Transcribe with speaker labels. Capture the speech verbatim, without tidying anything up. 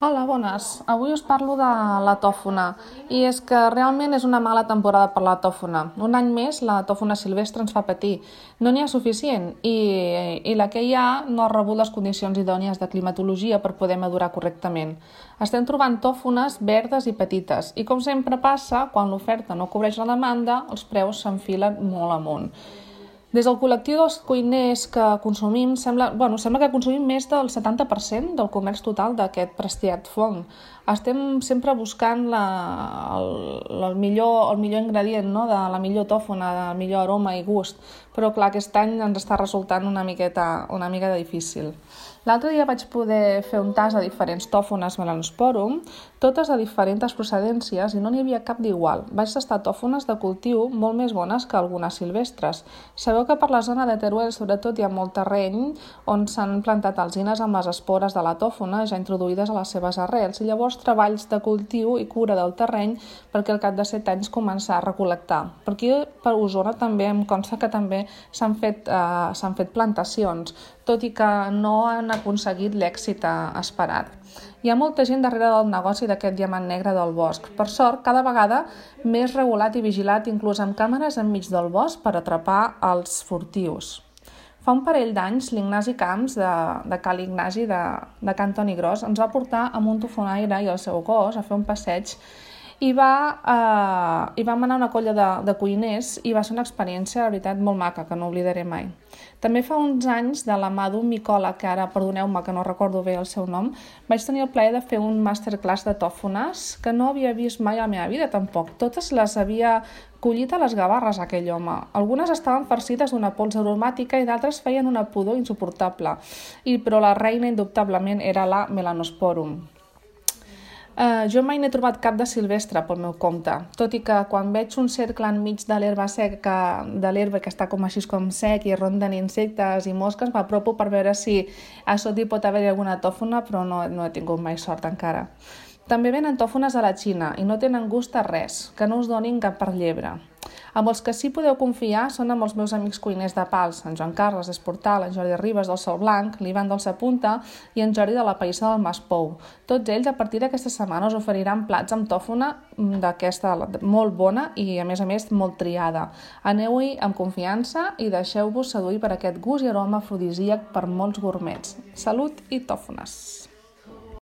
Speaker 1: Hola, bones. Avui us parlo de la tòfona i és que realment és una mala temporada per la tòfona. Un any més la tòfona silvestre ens fa patir. No n'hi ha suficient i, i la que hi ha no ha rebut les condicions idònies de climatologia per poder madurar correctament. Estem trobant tòfones verdes i petites i, com sempre passa, quan l'oferta no cobreix la demanda, els preus s'enfilen molt amunt. Des del col·lectiu dels cuiners que consumim, sembla, bueno, sembla que consumim més del setanta per cent del comerç total d'aquest prestiat fong. Estem sempre buscant la, el, el, millor, el millor ingredient, no? De la millor tòfona, del millor aroma i gust, però clar, aquest any ens està resultant una miqueta, una mica difícil. L'altre dia vaig poder fer un tast de diferents tòfones Melanosporum, totes de diferents procedències i no n'hi havia cap d'igual. Vaig tastar tòfones de cultiu molt més bones que algunes silvestres. Sabeu que per la zona de Teruel sobretot hi ha molt terreny on s'han plantat alzines amb les espores de la tòfona ja introduïdes a les seves arrels i llavors treballs de cultiu i cura del terreny perquè al cap de set anys començar a recol·lectar. Per aquí, per Osona, també em consta que també s'han fet, eh, s'han fet plantacions, tot i que no han aconseguit l'èxit esperat. Hi ha molta gent darrere del negoci d'aquest diamant negre del bosc. Per sort, cada vegada més regulat i vigilat, inclús amb càmeres enmig del bosc per atrapar els furtius. Fa un parell d'anys, l'Ignasi Camps, de, de Cal Ignasi, de, de Can Toni Gros, ens va portar amb un tofonaire i el seu gos a fer un passeig i, va, eh, i vam anar a una colla de, de cuiners i va ser una experiència, de veritat, molt maca, que no oblidaré mai. També fa uns anys, de la mà d'un micòleg, que ara, perdoneu-me que no recordo bé el seu nom, vaig tenir el plaer de fer un masterclass de tòfones que no havia vist mai a la meva vida, tampoc. Totes les havia collit a les gavarres, aquell home. Algunes estaven farcides d'una pols aromàtica i d'altres feien una pudor insuportable, I, però la reina, indubtablement, era la Melanosporum. Uh, jo mai n'he trobat cap de silvestre pel meu compte, tot i que quan veig un cercle enmig de l'herba seca, de l'herba que està com així com sec i ronden insectes i mosques, m'apropo per veure si a sota hi pot haver alguna tòfona, però no, no he tingut mai sort encara. També venen tòfones a la Xina i no tenen gust a res, que no us donin cap per llebre. Amb els que sí podeu confiar són amb els meus amics cuiners de Pals, en Joan Carles Esportal, en Jordi Ribes del Sol Blanc, l'Ivan del Sapunta i en Jordi de la Païssa del Mas Pou. Tots ells a partir d'aquesta setmana us oferiran plats amb tòfona d'aquesta molt bona i a més a més molt triada. Aneu-hi amb confiança i deixeu-vos seduir per aquest gust i aroma afrodisíac per molts gourmets. Salut i tòfones!